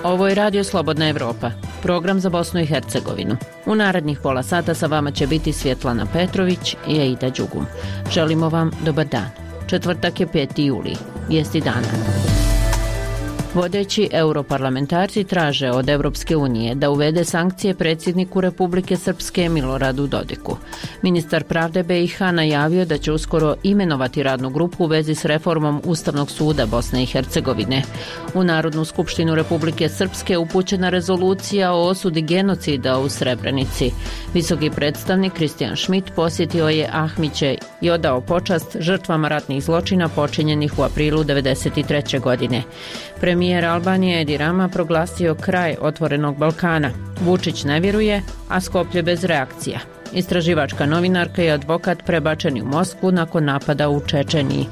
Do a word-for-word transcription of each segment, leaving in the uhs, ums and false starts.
Ovo je Radio Slobodna Evropa, program za Bosnu i Hercegovinu. U narednih pola sata sa vama će biti Svjetlana Petrović i Aida Đugum. Želimo vam dobar dan. Četvrtak je peti juli. Vijesti dana. Vodeći europarlamentarci traže od Evropske unije da uvede sankcije predsjedniku Republike Srpske Miloradu Dodiku. Ministar pravde B i H najavio da će uskoro imenovati radnu grupu u vezi s reformom Ustavnog suda Bosne i Hercegovine. U Narodnu skupštinu Republike Srpske upućena rezolucija o osudi genocida u Srebrenici. Visoki predstavnik Kristijan Schmidt posjetio je Ahmiće i odao počast žrtvama ratnih zločina počinjenih u aprilu devedeset treće godine. Premijer Albanije Edi Rama proglasio kraj otvorenog Balkana. Vučić ne vjeruje, a Skoplje bez reakcija. Istraživačka novinarka i advokat prebačeni u Moskvu nakon napada u Čečeniji.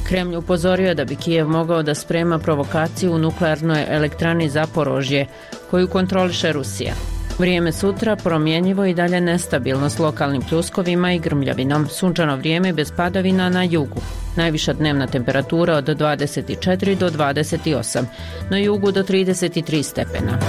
Kremlj upozorio da bi Kijev mogao da sprema provokaciju u nuklearnoj elektrani Zaporožje, koju kontroliše Rusija. Vrijeme sutra promjenjivo i dalje nestabilno s lokalnim pljuskovima i grmljavinom. Sunčano vrijeme bez padavina na jugu. Najviša dnevna temperatura od dvadeset četiri do dvadeset osam, na jugu do trideset tri stepena.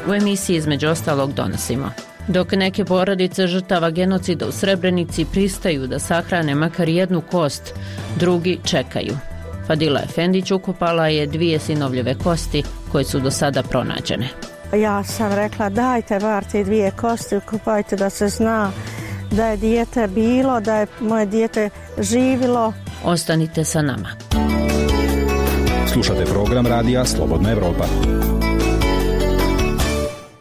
U emisiji između ostalog donosimo: dok neke porodice žrtava genocida u Srebrenici pristaju da sahrane makar jednu kost, drugi čekaju. Fadila Efendić ukopala je dvije sinovljeve kosti koje su do sada pronađene. Ja sam rekla, dajte bar te dvije kosti, ukopajte da se zna da je dijete bilo, da je moje dijete živilo. Ostanite sa nama. Slušate program Radija Slobodna Evropa.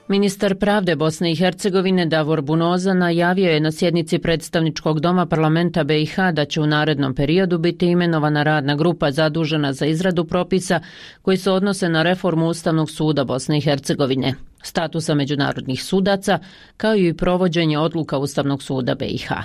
Ministar pravde Bosne i Hercegovine Davor Bunoza najavio je na sjednici predstavničkog doma parlamenta B i H da će u narednom periodu biti imenovana radna grupa zadužena za izradu propisa koji se odnose na reformu Ustavnog suda Bosne i Hercegovine, statusa međunarodnih sudaca, kao i provođenje odluka Ustavnog suda B i H.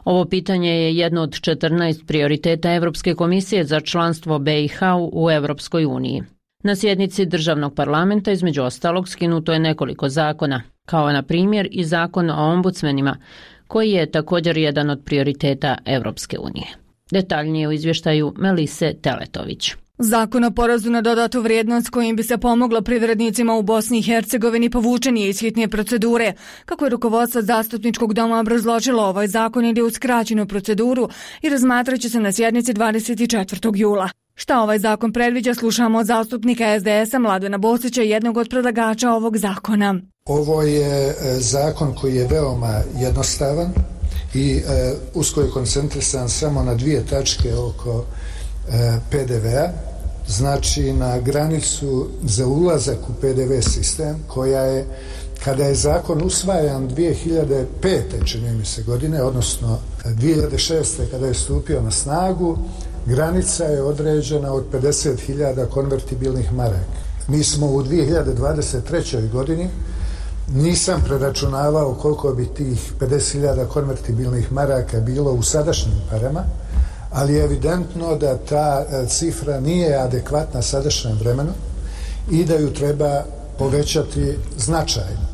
Ovo pitanje je jedno od četrnaest prioriteta Evropske komisije za članstvo B i H u Evropskoj uniji. Na sjednici državnog parlamenta između ostalog skinuto je nekoliko zakona, kao na primjer i zakon o ombudsmenima, koji je također jedan od prioriteta Evropske unije. Detaljnije u izvještaju Melise Teletović. Zakon o porezu na dodatu vrijednost kojim bi se pomoglo privrednicima u Bosni i Hercegovini povučen je iz hitne procedure. Kako je rukovodstvo zastupničkog doma obrazložilo, ovaj zakon ide u skraćenu proceduru i razmatrat će se na sjednici dvadeset četvrtog jula. Šta ovaj zakon predviđa, slušamo od zastupnika S D S-a Mladena Bosića, jednog od predlagača ovog zakona. Ovo je zakon koji je veoma jednostavan i usko je koncentrisan samo na dvije tačke oko P D V-a, znači na granicu za ulazak u P D V sistem, koja je, kada je zakon usvajan dvije hiljade pete čini mi se godine, odnosno dvije hiljade šeste kada je stupio na snagu, granica je određena od pedeset hiljada konvertibilnih maraka. Mi smo u dvije hiljade dvadeset trećoj godini, nisam preračunavao koliko bi tih pedeset hiljada konvertibilnih maraka bilo u sadašnjim parama, ali je evidentno da ta cifra nije adekvatna sadašnjem vremenu i da ju treba povećati značajno.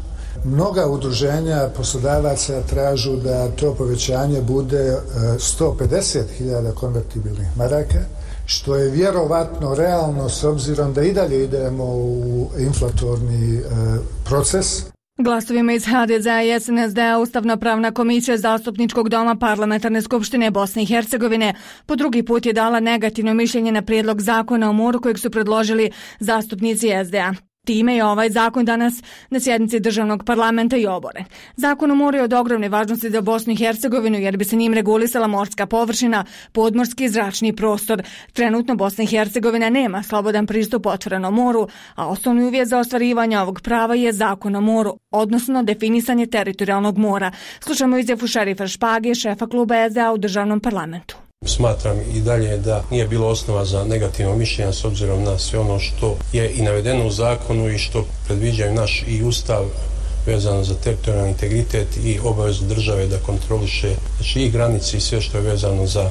Mnoga udruženja poslodavaca tražu da to povećanje bude sto pedeset hiljada konvertibilnih maraka, što je vjerovatno realno s obzirom da i dalje idemo u inflatorni proces. Glasovima iz H D Z-a i S N S D-a Ustavna pravna komisija zastupničkog doma Parlamentarne skupštine Bosne i Hercegovine po drugi put je dala negativno mišljenje na prijedlog zakona o moru kojeg su predložili zastupnici S D A. Time je ovaj zakon danas na sjednici državnog parlamenta i oboren. Zakon o moru je od ogromne važnosti za Bosnu i Hercegovinu jer bi se njim regulisala morska površina, podmorski i zračni prostor. Trenutno Bosna i Hercegovina nema slobodan pristup otvorenom moru, a osnovni uvjet za ostvarivanje ovog prava je zakon o moru, odnosno definisanje teritorijalnog mora. Slušamo izjavu šerifa Špage, šefa kluba S D A u državnom parlamentu. Smatram i dalje da nije bilo osnova za negativno mišljenje s obzirom na sve ono što je i navedeno u zakonu i što predviđaju naš i ustav vezano za teritorijalni integritet i obavezu države da kontroliše znači i granice i sve što je vezano za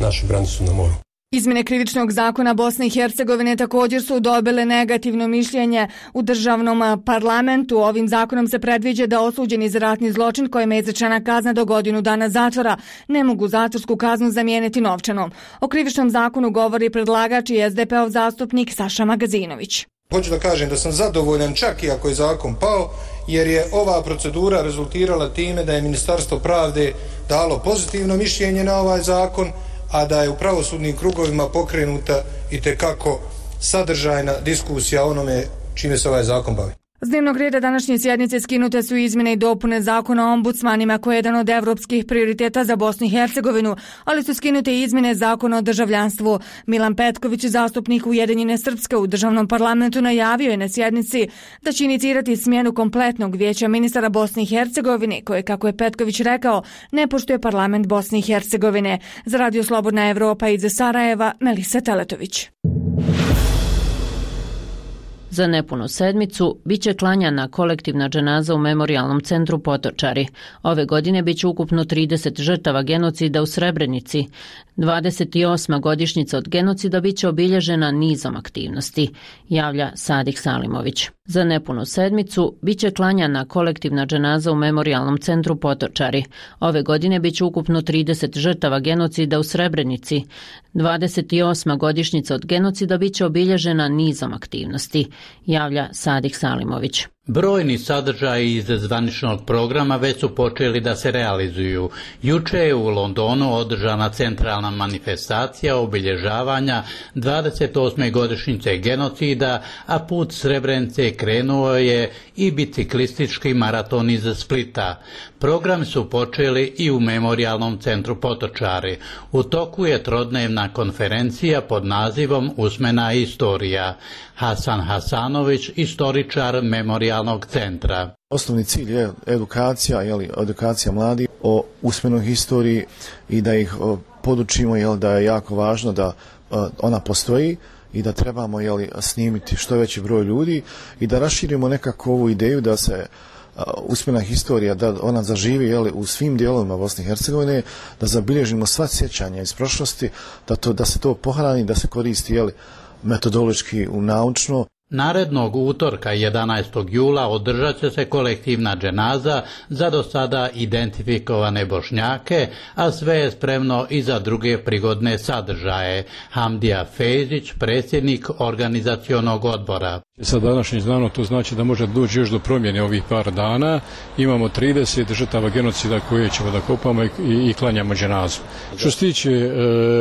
našu granicu na moru. Izmjene krivičnog zakona Bosne i Hercegovine također su dobile negativno mišljenje u državnom parlamentu. Ovim zakonom se predviđa da osuđeni za ratni zločin kojima je izrečena kazna do godinu dana zatvora ne mogu zatvorsku kaznu zamijeniti novčanom. O krivičnom zakonu govori predlagač i es de pe ov zastupnik Saša Magazinović. Hoću da kažem da sam zadovoljan čak i ako je zakon pao, jer je ova procedura rezultirala time da je Ministarstvo pravde dalo pozitivno mišljenje na ovaj zakon, a da je u pravosudnim krugovima pokrenuta itekako sadržajna diskusija o onome čime se ovaj zakon bavi. S dnevnog reda današnje sjednice skinute su izmjene i dopune zakona o ombudsmanima koji je jedan od evropskih prioriteta za Bosnu i Hercegovinu, ali su skinute i izmjene zakona o državljanstvu. Milan Petković, zastupnik Ujedinjene Srpske u državnom parlamentu, najavio je na sjednici da će inicirati smjenu kompletnog vijeća ministara Bosne i Hercegovine, koje, kako je Petković rekao, ne poštuje parlament Bosne i Hercegovine. Za Radio Slobodna Evropa iz Sarajeva, Melisa Teletović. Za nepunu sedmicu biće klanjana kolektivna dženaza u memorijalnom centru Potočari. Ove godine biće ukupno trideset žrtava genocida u Srebrenici. dvadeset osma godišnjica od genocida biće obilježena nizom aktivnosti, javlja Sadik Salimović. Za nepunu sedmicu biće klanjana kolektivna dženaza u memorijalnom centru Potočari. Ove godine biće ukupno trideset žrtava genocida u Srebrenici. dvadeset osma godišnjica od genocida biće obilježena nizom aktivnosti, javlja Sadik Salimović. Brojni sadržaji iz zvaničnog programa već su počeli da se realizuju. Juče je u Londonu održana centralna manifestacija obilježavanja dvadeset osme godišnjice genocida, a put Srebrenice krenuo je i biciklistički maraton iz Splita. Programi su počeli i u memorijalnom centru Potočari. U toku je trodnevna konferencija pod nazivom Usmena istorija. Hasan Hasanović, istoričar memorijalnog centra. Osnovni cilj je edukacija, jeli, edukacija mladih o usmenoj historiji i da ih podučimo, jel, da je jako važno da ona postoji i da trebamo, jeli, snimiti što veći broj ljudi i da raširimo nekako ovu ideju da se usmena historija, da ona zaživi, jeli, u svim dijelovima Bosne i Hercegovine, da zabilježimo sva sjećanja iz prošlosti, da, to, da se to pohrani, da se koristi, jeli, metodološki u naučno. Narednog utorka jedanaestog jula održat će se kolektivna dženaza za do sada identifikovane Bošnjake, a sve je spremno i za druge prigodne sadržaje. Hamdija Fejzić, predsjednik organizacionog odbora. Sa današnjim danom to znači da može doći još do promjene ovih par dana. Imamo trideset žrtava genocida koje ćemo da kopamo i, i, i klanjamo dženazu. Što se tiče e,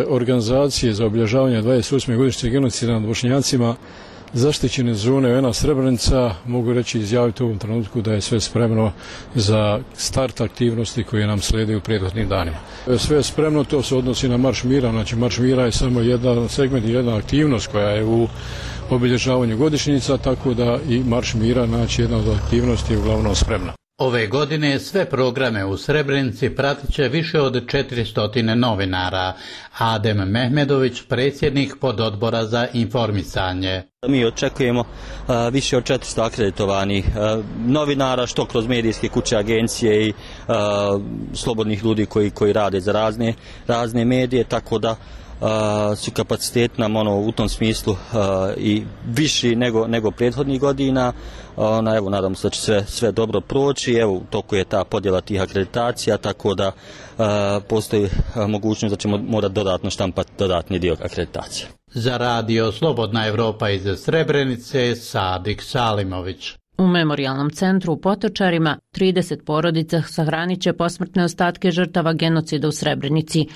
organizacije za obilježavanje dvadeset osme godišnjice genocida nad Bošnjacima, zaštićene zone U N-a Srebrenica, mogu reći izjaviti u ovom trenutku da je sve spremno za start aktivnosti koje nam slijede u prethodnim danima. Sve je spremno, to se odnosi na Marš mira, znači Marš mira je samo jedan segment i jedna aktivnost koja je u obilježavanju godišnjica, tako da i Marš mira, znači jedna od aktivnosti je uglavnom spremna. Ove godine sve programe u Srebrenici pratit će više od četiristo novinara. Adem Mehmedović, predsjednik pododbora za informisanje. Mi očekujemo uh, više od četiristo akreditovanih uh, novinara, što kroz medijske kuće, agencije i uh, slobodnih ljudi koji, koji rade za razne, razne medije, tako da Uh, su kapacitet nam ono, u tom smislu uh, i viši nego, nego prethodnih godina. Ona, evo, nadam se da će sve, sve dobro proći. Evo, u toku je ta podjela tih akreditacija, tako da uh, postoji uh, mogućnost da ćemo morati dodatno štampati dodatni dio akreditacije. Za Radio Slobodna Evropa iz Srebrenice, Sadik Salimović. U memorijalnom centru u Potočarima trideset porodica sahranit će posmrtne ostatke žrtava genocida u Srebrenici.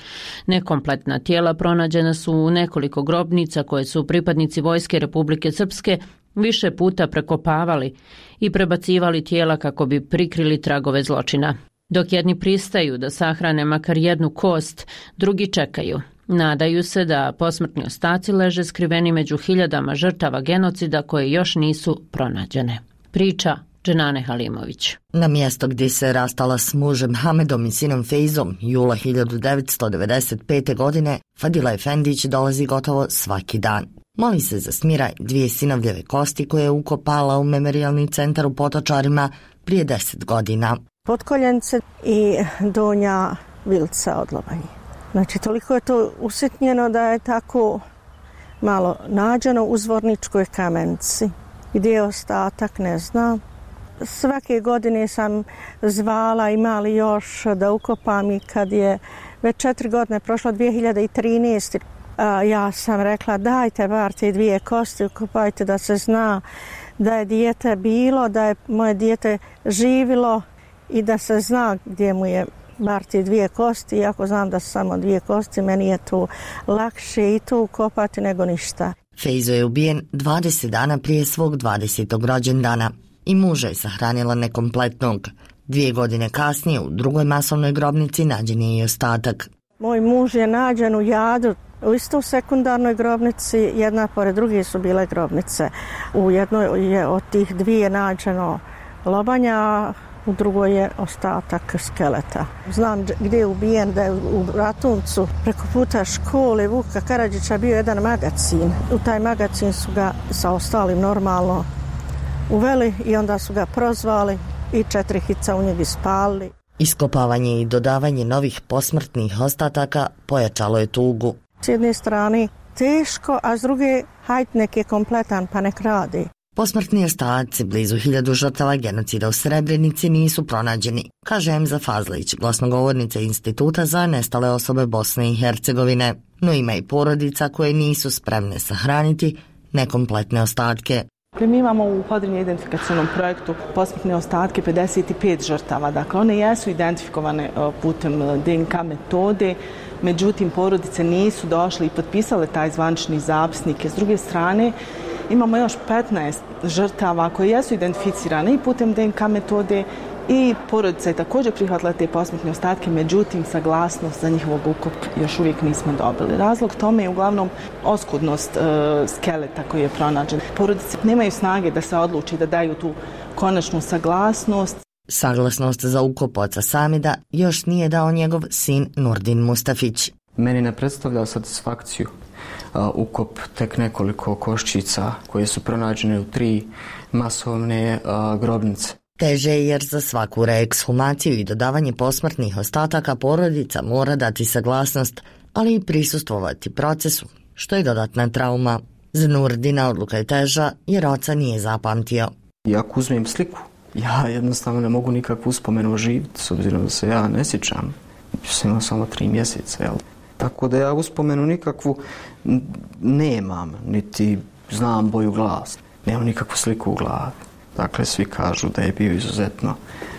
Nekompletna tijela pronađena su u nekoliko grobnica koje su pripadnici Vojske Republike Srpske više puta prekopavali i prebacivali tijela kako bi prikrili tragove zločina. Dok jedni pristaju da sahrane makar jednu kost, drugi čekaju. Nadaju se da posmrtni ostaci leže skriveni među hiljadama žrtava genocida koje još nisu pronađene. Priča Dženane Halimović. Na mjesto gdje se rastala s mužem Hamedom i sinom Fejzom jula hiljadu devetsto devedeset pete. godine, Fadila Efendić dolazi gotovo svaki dan. Moli se za smiraj dvije sinovljeve kosti koje je ukopala u memorijalni centar u Potočarima prije deset godina. Potkoljence i donja vilca od lobanje. Znači, toliko je to usitnjeno da je tako malo nađeno u Zvorničkoj Kamenici. Gdje je ostatak, ne znam. Svake godine sam zvala, ima li još da ukopam i kad je već četiri godine prošlo, dvije hiljade trinaeste. Ja sam rekla dajte bar te dvije kosti, ukopajte da se zna da je dijete bilo, da je moje dijete živilo i da se zna gdje mu je bar te dvije kosti. Iako znam da su samo dvije kosti, meni je to lakše i to ukopati nego ništa. Fejzo je ubijen dvadeset dana prije svog dvadesetog rođendana i muža je sahranila nekompletnog. Dvije godine kasnije u drugoj masovnoj grobnici nađen je i ostatak. Moj muž je nađen u Jadu, u istoj sekundarnoj grobnici, jedna pored druge su bile grobnice. U jednoj je od tih dvije nađeno lobanja, u drugoj je ostatak skeleta. Znam gdje je ubijen, da je u Ratuncu preko puta škole Vuka Karadžića bio jedan magacin. U taj magacin su ga sa ostalim normalno uveli i onda su ga prozvali i četiri hica u njeg ispalili. Iskopavanje i dodavanje novih posmrtnih ostataka pojačalo je tugu. S jedne strane teško, a s druge hajt nek je kompletan pa nek radi. Posmrtni ostaci blizu hiljadu žrtava genocida u Srebrenici nisu pronađeni, kaže Emza Fazlić, glasnogovornica Instituta za nestale osobe Bosne i Hercegovine. No ima i porodica koje nisu spremne sahraniti nekompletne ostatke. Mi imamo u podrinje identifikacijnom projektu posmrtne ostatke pedeset pet žrtava. Dakle, one jesu identifikovane putem D N K metode, međutim, porodice nisu došle i potpisale taj zvanični zapisnik. S druge strane, imamo još petnaest žrtava koje jesu identificirane i putem D N K metode i porodica je također prihvatila te posmrtne ostatke, međutim, saglasnost za njihovog ukop još uvijek nismo dobili. Razlog tome je uglavnom oskudnost e, skeleta koji je pronađen. Porodice nemaju snage da se odluči da daju tu konačnu saglasnost. Saglasnost za ukop oca Samida još nije dao njegov sin Nurdin Mustafić. Meni ne predstavlja satisfakciju uh, ukop tek nekoliko koščica koje su pronađene u tri masovne uh, grobnice. Teže je jer za svaku reekshumaciju i dodavanje posmrtnih ostataka porodica mora dati saglasnost, ali i prisustvovati procesu, što je dodatna trauma. Za Nurdina odluka je teža jer oca nije zapamtio. I ako uzmem sliku, ja jednostavno ne mogu nikakvu uspomenu oživiti, s obzirom da se ja ne sjećam. Sam imao samo tri mjeseca, jel? Tako da ja uspomenu nikakvu nemam, niti znam boju glasa. Nemam nikakvu sliku u glavi. Dakle, svi kažu da je bio izuzetno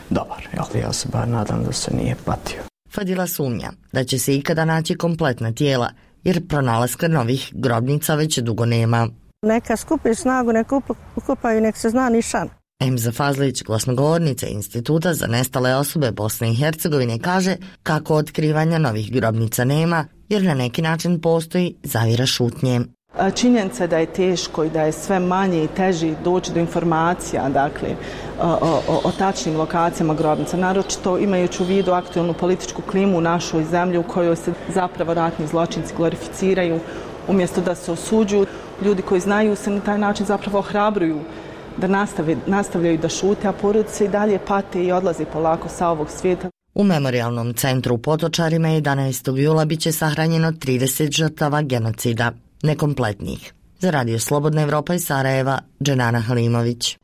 dobar, ali ja se bar nadam da se nije patio. Fadila sumnja da će se ikada naći kompletna tijela, jer pronalaska novih grobnica već dugo nema. Neka skupi snagu, neka ukopaju, nek se zna nišan. Emza Fazlić, glasnogovornica Instituta za nestale osobe Bosne i Hercegovine, kaže kako otkrivanja novih grobnica nema, jer na neki način postoji zavjera šutnje. Činjenica da je teško i da je sve manje i teži doći do informacija, dakle, o, o, o tačnim lokacijama grobnica, naročito imajući u vidu aktualnu političku klimu u našoj zemlji u kojoj se zapravo ratni zločinci glorificiraju, umjesto da se osuđuju. Ljudi koji znaju se na taj način zapravo ohrabruju da nastave, nastavljaju da šute, a porodice i dalje pate i odlaze polako sa ovog svijeta. U Memorijalnom centru u Potočarima jedanaestog jula biće sahranjeno trideset žrtava genocida, nekompletnih. Za Radio Slobodna Evropa iz Sarajeva, Dženana Halimović.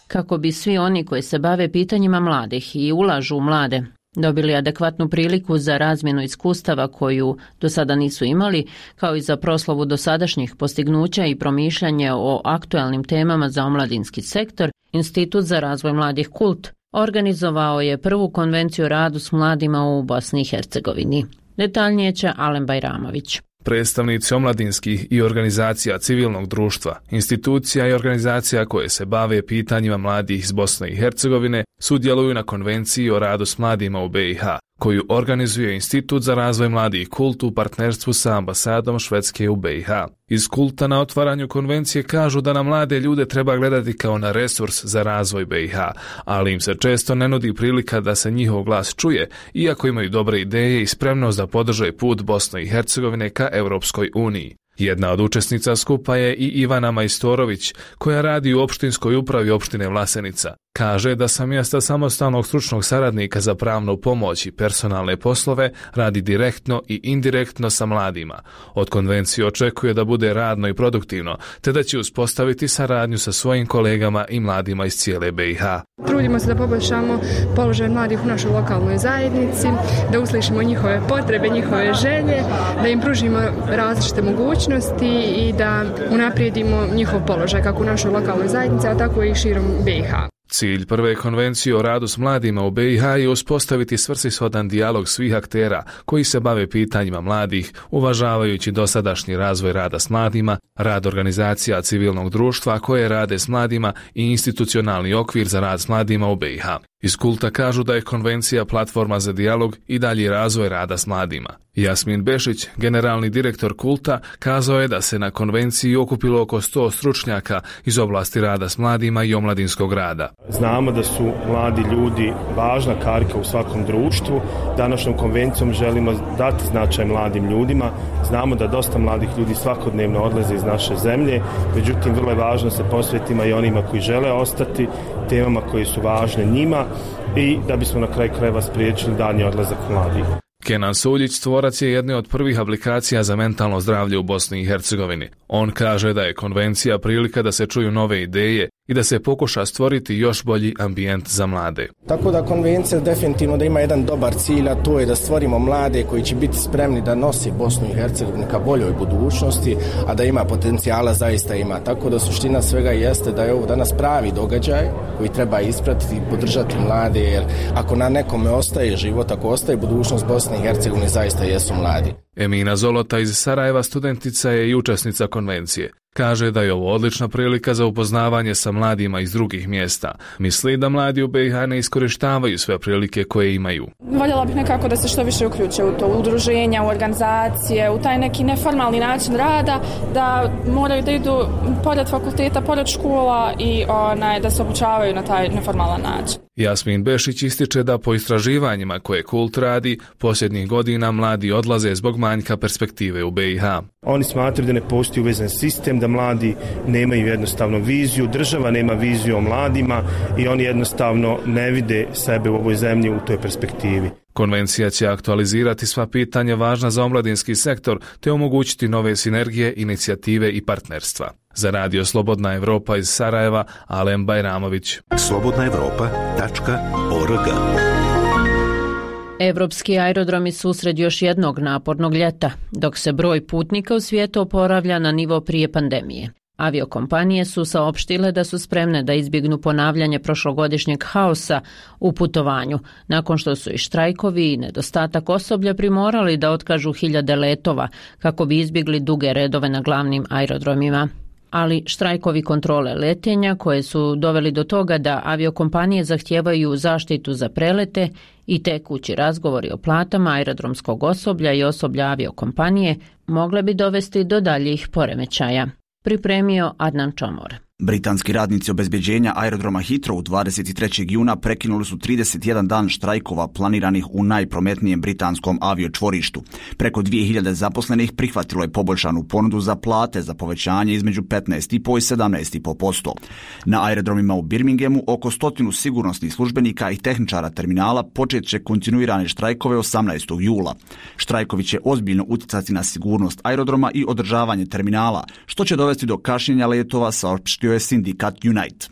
Kako bi svi oni koji se bave pitanjima mladih i ulažu u mlade dobili adekvatnu priliku za razmjenu iskustava koju do sada nisu imali, kao i za proslavu dosadašnjih postignuća i promišljanje o aktualnim temama za omladinski sektor, Institut za razvoj mladih Kult organizovao je prvu konvenciju o radu s mladima u Bosni i Hercegovini. Detaljnije će Alen Bajramović. Predstavnici omladinskih i organizacija civilnog društva, institucija i organizacija koje se bave pitanjima mladih iz Bosne i Hercegovine sudjeluju na konvenciji o radu s mladima u B i H, koju organizuje Institut za razvoj mladih Kult u partnerstvu sa ambasadom Švedske u B i H. Iz Kulta na otvaranju konvencije kažu da na mlade ljude treba gledati kao na resurs za razvoj B i H, ali im se često ne nudi prilika da se njihov glas čuje, iako imaju dobre ideje i spremnost da podrže put Bosne i Hercegovine ka Europskoj uniji. Jedna od učesnica skupa je i Ivana Majstorović, koja radi u opštinskoj upravi opštine Vlasenica. Kaže da sa mjesta samostalnog stručnog saradnika za pravnu pomoć i personalne poslove radi direktno i indirektno sa mladima. Od konvencije očekuje da bude radno i produktivno, te da će uspostaviti saradnju sa svojim kolegama i mladima iz cijele B i H. Trudimo se da poboljšamo položaj mladih u našoj lokalnoj zajednici, da uslišimo njihove potrebe, njihove želje, da im pružimo različite mogućnosti i da unaprijedimo njihov položaj kako u našoj lokalnoj zajednici, a tako i širom B i H. Cilj prve konvencije o radu s mladima u B i H je uspostaviti svrsishodan dijalog svih aktera koji se bave pitanjima mladih, uvažavajući dosadašnji razvoj rada s mladima, rad organizacija civilnog društva koje rade s mladima i institucionalni okvir za rad s mladima u B i H. Iz Kulta kažu da je konvencija platforma za dijalog i dalji razvoj rada s mladima. Jasmin Bešić, generalni direktor Kulta, kazao je da se na konvenciji okupilo oko sto stručnjaka iz oblasti rada s mladima i omladinskog rada. Znamo da su mladi ljudi važna karika u svakom društvu. Današnjom konvencijom želimo dati značaj mladim ljudima. Znamo da dosta mladih ljudi svakodnevno odlaze iz naše zemlje, međutim vrlo je važno se posvetimo i onima koji žele ostati, temama koje su važne njima i da bismo na kraju krajeva spriječili daljnji odlazak mladih. Kenan Suljić tvorac je jedne od prvih aplikacija za mentalno zdravlje u Bosni i Hercegovini. On kaže da je konvencija prilika da se čuju nove ideje i da se pokuša stvoriti još bolji ambijent za mlade. Tako da konvencija definitivno da ima jedan dobar cilj, a to je da stvorimo mlade koji će biti spremni da nosi Bosnu i Hercegovinu ka boljoj budućnosti, a da ima potencijala zaista ima. Tako da suština svega jeste da je ovo danas pravi događaj koji treba ispratiti i podržati mlade, jer ako na nekome ostaje život, ako ostaje budućnost Bosne i Hercegovine, zaista jesu mladi. Emina Zolota iz Sarajeva studentica je i učesnica konvencije. Kaže da je ovo odlična prilika za upoznavanje sa mladima iz drugih mjesta. Misli da mladi u B i H ne iskorištavaju sve prilike koje imaju. Voljela bih nekako da se što više uključe u to, u udruženja, u organizacije, u taj neki neformalni način rada, da moraju da idu pored fakulteta, pored škola i onaj, da se obučavaju na taj neformalan način. Jasmin Bešić ističe da po istraživanjima koje Kult radi, posljednjih godina mladi odlaze zbog manjka perspektive u B i H. Oni smatraju da ne postoji uvezan sistem, da mladi nemaju jednostavno viziju, država nema viziju o mladima i oni jednostavno ne vide sebe u ovoj zemlji u toj perspektivi. Konvencija će aktualizirati sva pitanja važna za omladinski sektor te omogućiti nove sinergije, inicijative i partnerstva. Za Radio Slobodna Evropa iz Sarajeva, Alem Bajramović. slobodna evropa tačka org. Evropski aerodromi su usred još jednog napornog ljeta, dok se broj putnika u svijetu oporavlja na nivo prije pandemije. Aviokompanije su saopštile da su spremne da izbjegnu ponavljanje prošlogodišnjeg haosa u putovanju, nakon što su i štrajkovi i nedostatak osoblja primorali da otkažu hiljade letova kako bi izbjegli duge redove na glavnim aerodromima. Ali štrajkovi kontrole letenja koje su doveli do toga da aviokompanije zahtijevaju zaštitu za prelete i tekući razgovori o platama aerodromskog osoblja i osoblja aviokompanije mogle bi dovesti do daljih poremećaja. Pripremio Adnan Čomor. Britanski radnici obezbeđenja aerodroma Heathrow dvadeset trećeg juna prekinuli su trideset jedan dan štrajkova planiranih u najprometnijem britanskom aviočvorištu. Preko dvije hiljade zaposlenih prihvatilo je poboljšanu ponudu za plate za povećanje između petnaest i sedamnaest i po posto. Na aerodromima u Birminghamu oko stotinu sigurnosnih službenika i tehničara terminala počet će kontinuirane štrajkove osamnaestog jula. Štrajkovi će ozbiljno utjecati na sigurnost aerodroma i održavanje terminala, što će dovesti do kašnjenja letova, saopštio je sindikat Unite.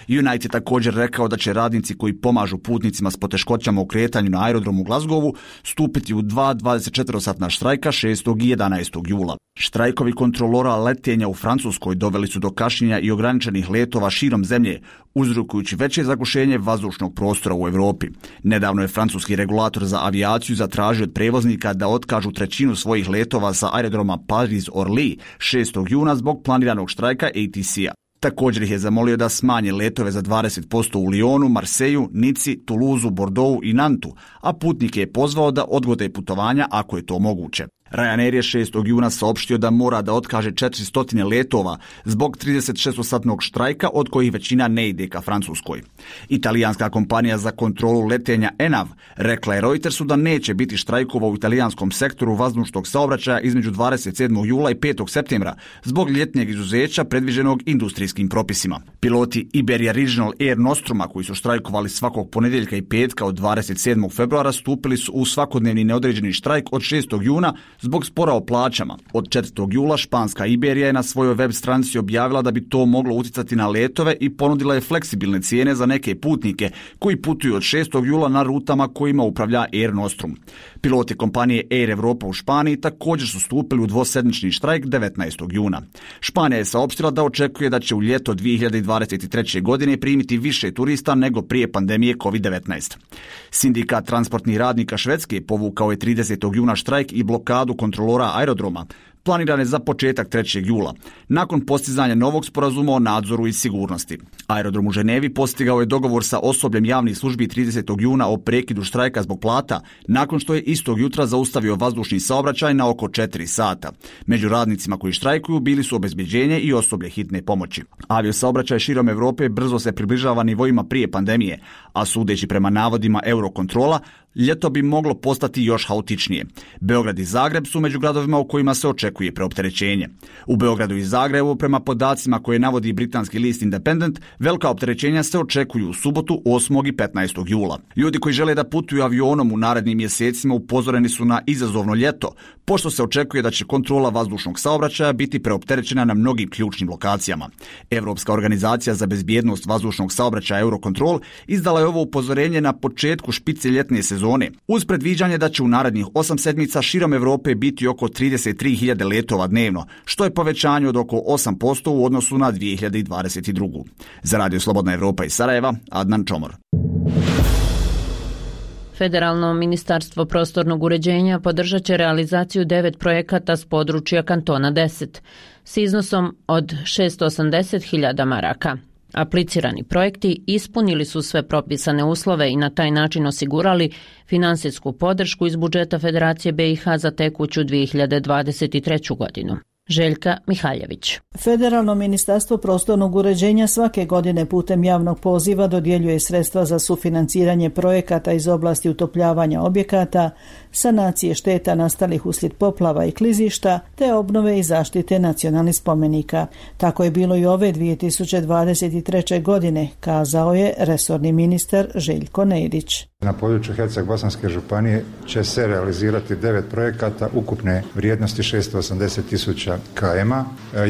Unite je također rekao da će radnici koji pomažu putnicima s poteškoćama u kretanju na aerodromu u Glasgowu stupiti u dva dvadesetčetvorosatna štrajka šestog i jedanaestog jula. Štrajkovi kontrolora letenja u Francuskoj doveli su do kašnjenja i ograničenih letova širom zemlje, uzrokujući veće zagušenje vazdušnog prostora u Europi. Nedavno je francuski regulator za avijaciju zatražio od prevoznika da otkažu trećinu svojih letova sa aerodroma Paris-Orly šestog juna zbog planiranog štrajka A T C-a. Također ih je zamolio da smanje letove za dvadeset posto u Lyonu, Marseju, Nici, Toulouseu, Bordeauxu i Nantu, a putnike je pozvao da odgode putovanja ako je to moguće. Ryanair je šestog juna saopštio da mora da otkaže četiristo letova zbog tridesetšestosatnog štrajka, od kojih većina ne ide ka Francuskoj. Italijanska kompanija za kontrolu letenja ENAV rekla je Reutersu da neće biti štrajkova u italijanskom sektoru vazdušnog saobraćaja između dvadeset sedmog jula i petog septembra zbog ljetnjeg izuzeća predviđenog industrijskim propisima. Piloti Iberia Regional Air Nostruma, koji su štrajkovali svakog ponedjeljka i petka od dvadeset sedmog februara, stupili su u svakodnevni neodređeni štrajk od šestog juna zbog spora o plaćama. Od četvrtog jula španska Iberija je na svojoj web stranici objavila da bi to moglo uticati na letove i ponudila je fleksibilne cijene za neke putnike koji putuju od šestog jula na rutama kojima upravlja Air Nostrum. Piloti kompanije Air Europa u Španiji također su stupili u dvosedmični štrajk devetnaestog juna. Španija je saopštila da očekuje da će u ljeto dvije hiljade dvadeset treće. godine primiti više turista nego prije pandemije kovid devetnaest. Sindikat transportnih radnika Švedske povukao je tridesetog juna štrajk i blokadu kontrolora aerodroma, planirane za početak trećeg jula, nakon postizanja novog sporazuma o nadzoru i sigurnosti. Aerodrom u Ženevi postigao je dogovor sa osobljem javnih službi tridesetog juna o prekidu štrajka zbog plata, nakon što je istog jutra zaustavio vazdušni saobraćaj na oko četiri sata. Među radnicima koji štrajkuju bili su obezbeđenje i osoblje hitne pomoći. Aviosaobraćaj širom Europe brzo se približava nivoima prije pandemije, a sudeći prema navodima Eurokontrola, ljeto bi moglo postati još haotičnije. Beograd i Zagreb su među gradovima u kojima se očekuje preopterećenje. U Beogradu i Zagrebu, prema podacima koje navodi britanski list Independent, velika opterećenja se očekuju u subotu osmog i petnaestog jula. Ljudi koji žele da putuju avionom u narednim mjesecima upozoreni su na izazovno ljeto, pošto se očekuje da će kontrola vazdušnog saobraćaja biti preopterećena na mnogim ključnim lokacijama. Evropska organizacija za bezbjednost vazdušnog saobraćaja Eurocontrol izdala je ovo upozorenje na početku špice ljetne sezone, uz predviđanje da će u narednih osam sedmica širom Europe biti oko trideset tri hiljade letova dnevno, što je povećanje od oko osam posto u odnosu na dvije hiljade dvadeset drugu. Za Radio Slobodna Evropa iz Sarajeva, Adnan Čomor. Federalno ministarstvo prostornog uređenja podržat će realizaciju devet projekata s područja kantona deset s iznosom od šesto osamdeset hiljada maraka. Aplicirani projekti ispunili su sve propisane uslove i na taj način osigurali finansijsku podršku iz budžeta Federacije B i H za tekuću dvije hiljade dvadeset treću. godinu. Željka Mihaljević. Federalno ministarstvo prostornog uređenja svake godine putem javnog poziva dodjeljuje sredstva za sufinanciranje projekata iz oblasti utopljavanja objekata, sanacije šteta nastalih uslijed poplava i klizišta, te obnove i zaštite nacionalnih spomenika. Tako je bilo i ove dvije tisuće dvadeset treće. godine, kazao je resorni ministar Željko Nedić. Na području Herceg-Bosanske županije će se realizirati devet projekata ukupne vrijednosti šesto osamdeset tisuća km.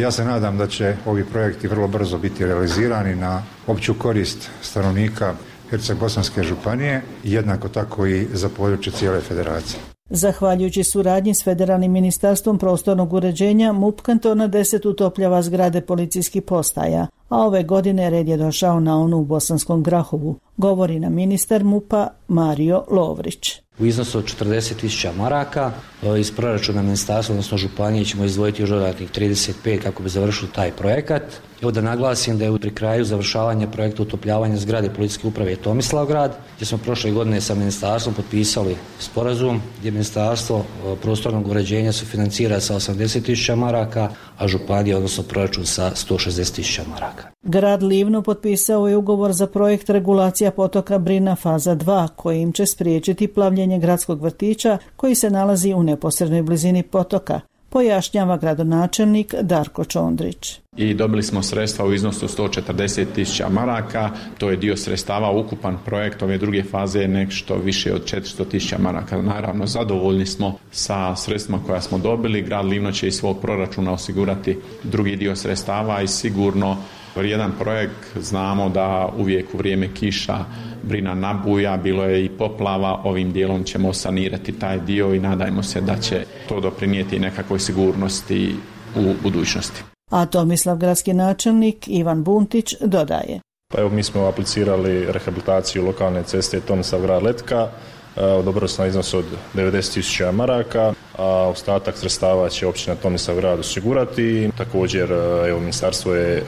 Ja se nadam da će ovi projekti vrlo brzo biti realizirani na opću korist stanovnika Herceg-Bosanske županije i jednako tako i za područje cijele federacije. Zahvaljujući suradnji s Federalnim ministarstvom prostornog uređenja, MUP kantona deset utopljava zgrade policijskih postaja, a ove godine red je došao na onu u Bosanskom Grahovu, govori nam ministar MUP-a Mario Lovrić. U iznosu od četrdeset tisuća maraka iz proračuna ministarstva, odnosno županije, ćemo izdvojiti još dodatnih trideset pet kako bi završili taj projekat. Evo da naglasim da je pri kraju završavanja projekta utopljavanja zgrade policijske uprave Tomislavgrad, gdje smo prošle godine sa ministarstvom potpisali sporazum gdje ministarstvo prostornog uređenja sufinancira sa osamdeset tisuća maraka, a županija, odnosno proračun, sa sto šezdeset tisuća maraka. Grad Livno potpisao je ugovor za projekt regulacija potoka Brina faza dva, kojim će spriječiti plavljenje gradskog vrtića koji se nalazi u neposrednoj blizini potoka, pojašnjava gradonačelnik Darko Čondrić. I dobili smo sredstva u iznosu sto četrdeset tisuća maraka, to je dio sredstava, ukupan projekt ove druge faze je nešto više od četiristo tisuća maraka. Naravno, zadovoljni smo sa sredstvima koja smo dobili, grad Livno će iz svog proračuna osigurati drugi dio sredstava i sigurno jedan projekt, znamo da uvijek u vrijeme kiša Brina nabuja, bilo je i poplava, ovim dijelom ćemo sanirati taj dio i nadajmo se da će to doprinijeti nekakvoj sigurnosti u budućnosti. A Tomislav gradski načelnik Ivan Buntić dodaje. Pa evo, mi smo aplicirali rehabilitaciju lokalne ceste Tomislavgrad-Letka, odobrili smo iznos od devedeset tisuća maraka, a ostatak sredstava će općina Tomislavgrad osigurati. Također, evo, ministarstvo je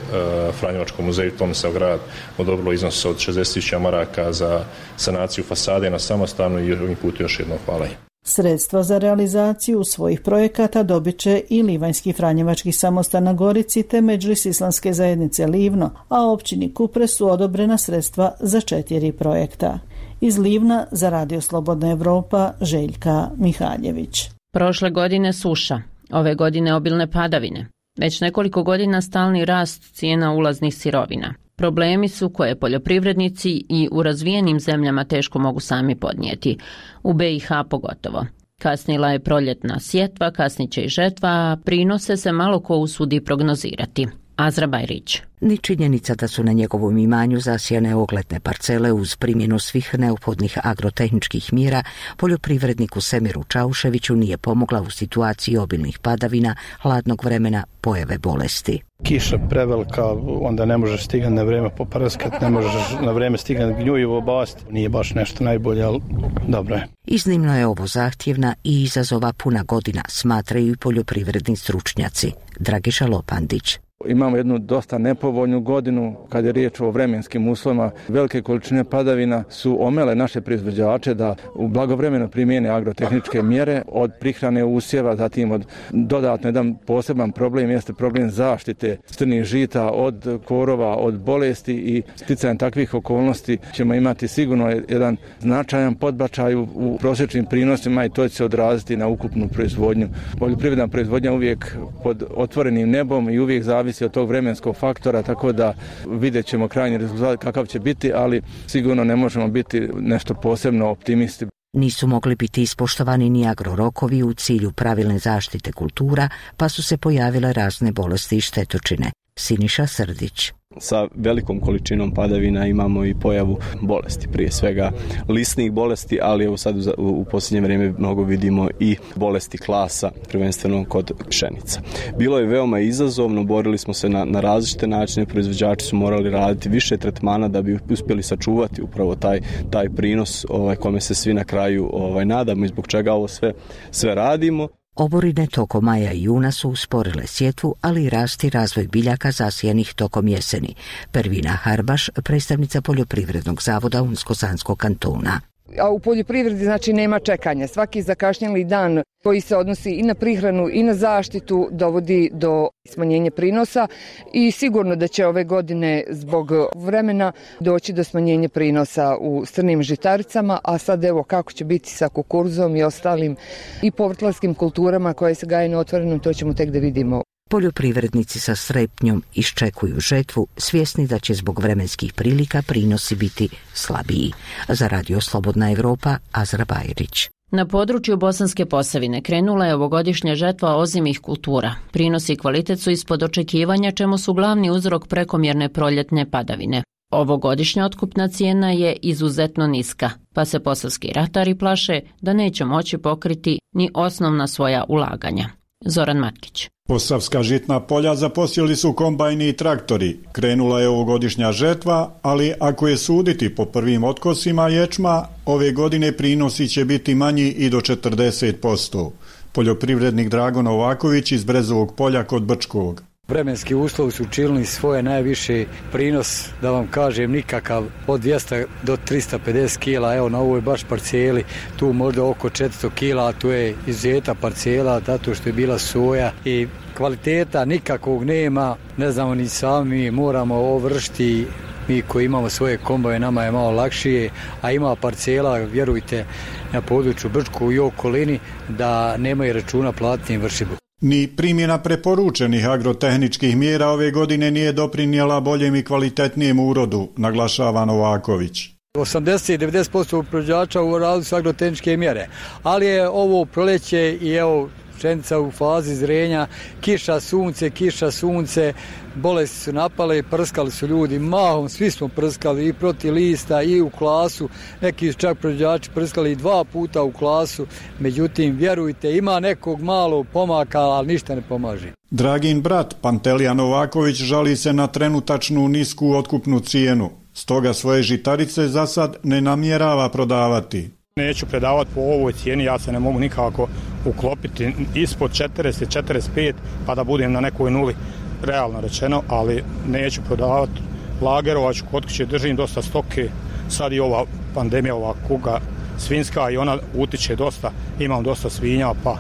Franjevačkom muzeju Tomislavgrad odobrilo iznos od šezdeset tisuća maraka za sanaciju fasade na samostanu i ovim putem još jednom hvala. Sredstva za realizaciju svojih projekata dobit će i Livanjski Franjevački samostan na Gorici te Medžlis Islamske zajednice Livno, a općini Kupres su odobrena sredstva za četiri projekta. Iz Livna za Radio Slobodna Evropa Željka Mihaljević. Prošle godine suša, ove godine obilne padavine. Već nekoliko godina stalni rast cijena ulaznih sirovina. Problemi su koje poljoprivrednici i u razvijenim zemljama teško mogu sami podnijeti, u B i H pogotovo. Kasnila je proljetna sjetva, kasniće i žetva, a prinose se malo ko usudi prognozirati. Azra Bajrić. Ni činjenica da su na njegovom imanju zasijane ogledne parcele uz primjenu svih neophodnih agrotehničkih mjera poljoprivredniku Semiru Čauševiću nije pomogla u situaciji obilnih padavina, hladnog vremena, pojave bolesti. Kiša prevelika, onda ne možeš stigati na vrijeme poprskat, ne možeš na vrijeme stigati gnjujivo basti. Nije baš nešto najbolje, ali dobro je. Iznimno je ovo zahtjevna i izazova puna godina, smatraju i poljoprivredni stručnjaci. Dragiša Lopandić. Imamo jednu dosta nepovoljnu godinu kad je riječ o vremenskim uslovima. Velike količine padavina su omele naše proizvođače da u blagovremeno primijene agrotehničke mjere od prihrane usjeva, zatim od dodatno jedan poseban problem jeste problem zaštite strnih žita od korova, od bolesti i sticajem takvih okolnosti ćemo imati sigurno jedan značajan podbačaj u prosječnim prinosima i to će se odraziti na ukupnu proizvodnju. Poljoprivredna proizvodnja uvijek pod otvorenim nebom i uvijek zavisi od tog vremenskog faktora, tako da vidjet ćemo krajnji rezultat kakav će biti, ali sigurno ne možemo biti nešto posebno optimisti. Nisu mogli biti ispoštovani ni agrorokovi u cilju pravilne zaštite kultura, pa su se pojavile razne bolesti i štetočine. Siniša Srdić. Sa velikom količinom padavina imamo i pojavu bolesti, prije svega lisnih bolesti, ali evo sad u, u posljednje vrijeme mnogo vidimo i bolesti klasa, prvenstveno kod pšenica. Bilo je veoma izazovno, borili smo se na, na različite načine, proizvođači su morali raditi više tretmana da bi uspjeli sačuvati upravo taj, taj prinos ovaj, kome se svi na kraju ovaj, nadamo i zbog čega ovo sve, sve radimo. Oborine tokom maja i juna su usporile sjetvu, ali i rast i razvoj biljaka zasijanih tokom jeseni. Pervina Harbaš, predstavnica Poljoprivrednog zavoda Unsko-Sanskog kantona. A u poljoprivredi znači nema čekanja. Svaki zakašnjeli dan koji se odnosi i na prihranu i na zaštitu dovodi do smanjenja prinosa i sigurno da će ove godine zbog vremena doći do smanjenja prinosa u strnim žitaricama, a sad evo kako će biti sa kukuruzom i ostalim i povrtlarskim kulturama koje se gaje na otvorenom, to ćemo tek da vidimo. Poljoprivrednici sa strepnjom iščekuju žetvu, svjesni da će zbog vremenskih prilika prinosi biti slabiji. Za Radio Slobodna Evropa, Azra Bajrić. Na području Bosanske Posavine krenula je ovogodišnja žetva ozimih kultura. Prinosi i kvalitet su ispod očekivanja, čemu su glavni uzrok prekomjerne proljetne padavine. Ovogodišnja otkupna cijena je izuzetno niska, pa se posavski ratari plaše da neće moći pokriti ni osnovna svoja ulaganja. Zoran Matkić. Posavska žitna polja zaposjeli su kombajni i traktori. Krenula je ovogodišnja žetva, ali ako je suditi po prvim otkosima ječma, ove godine prinosi će biti manji i do četrdeset posto. Poljoprivrednik Drago Novaković iz Brezovog polja kod Brčkog. Vremenski uslovi su učinili svoje najviši prinos, da vam kažem nikakav, od dvjesto do tristo pedeset kila, evo na ovoj baš parcijeli, tu možda oko četiristo kila, a tu je izuzetna parcijela, zato što je bila soja i kvaliteta nikakvog nema, ne znamo ni sami, moramo ovršiti, mi koji imamo svoje komboje, nama je malo lakšije, a ima parcijela, vjerujte, na području Brčku i okolini, da nemaju računa platiti vršibu. Ni primjena preporučenih agrotehničkih mjera ove godine nije doprinijela boljem i kvalitetnijem urodu, naglašava Novaković. osamdeset do devedeset posto proizvođača u radu su agrotehničke mjere, ali je ovo proleće i evo pšenica u fazi zrenja, kiša, sunce, kiša, sunce, bolesti su napale, prskali su ljudi, mahom, svi smo prskali i protiv lista i u klasu, neki su čak proizvođači prskali i dva puta u klasu, međutim, vjerujte, ima nekog malo pomaka, ali ništa ne pomaže. Dragin brat Pantelija Novaković žali se na trenutačnu nisku otkupnu cijenu, stoga svoje žitarice za sad ne namjerava prodavati. Neću predavati po ovoj cijeni, ja se ne mogu nikako uklopiti ispod četrdeset, četrdeset pet pa da budem na nekoj nuli, realno rečeno, ali neću prodavati. Lagerovaću, kod kuće držim dosta stoke, sad i ova pandemija, ova kuga svinjska i ona utiče dosta, imam dosta svinja, pa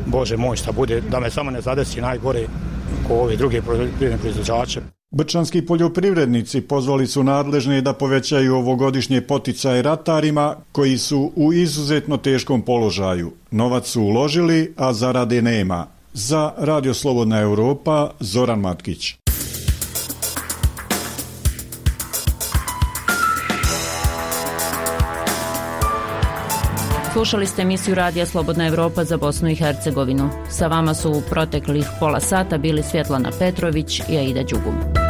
Bože moj šta bude, da me samo ne zadesi najgore ko ovi drugi poljoprivredni proizvođače. Brčanski poljoprivrednici pozvali su nadležne da povećaju ovogodišnje poticaje ratarima koji su u izuzetno teškom položaju. Novac su uložili, a zarade nema. Za Radio Slobodna Europa, Zoran Matkić. Slušali ste emisiju Radija Slobodna Europa za Bosnu i Hercegovinu. Sa vama su u proteklih pola sata bili Svjetlana Petrović i Aida Đugum.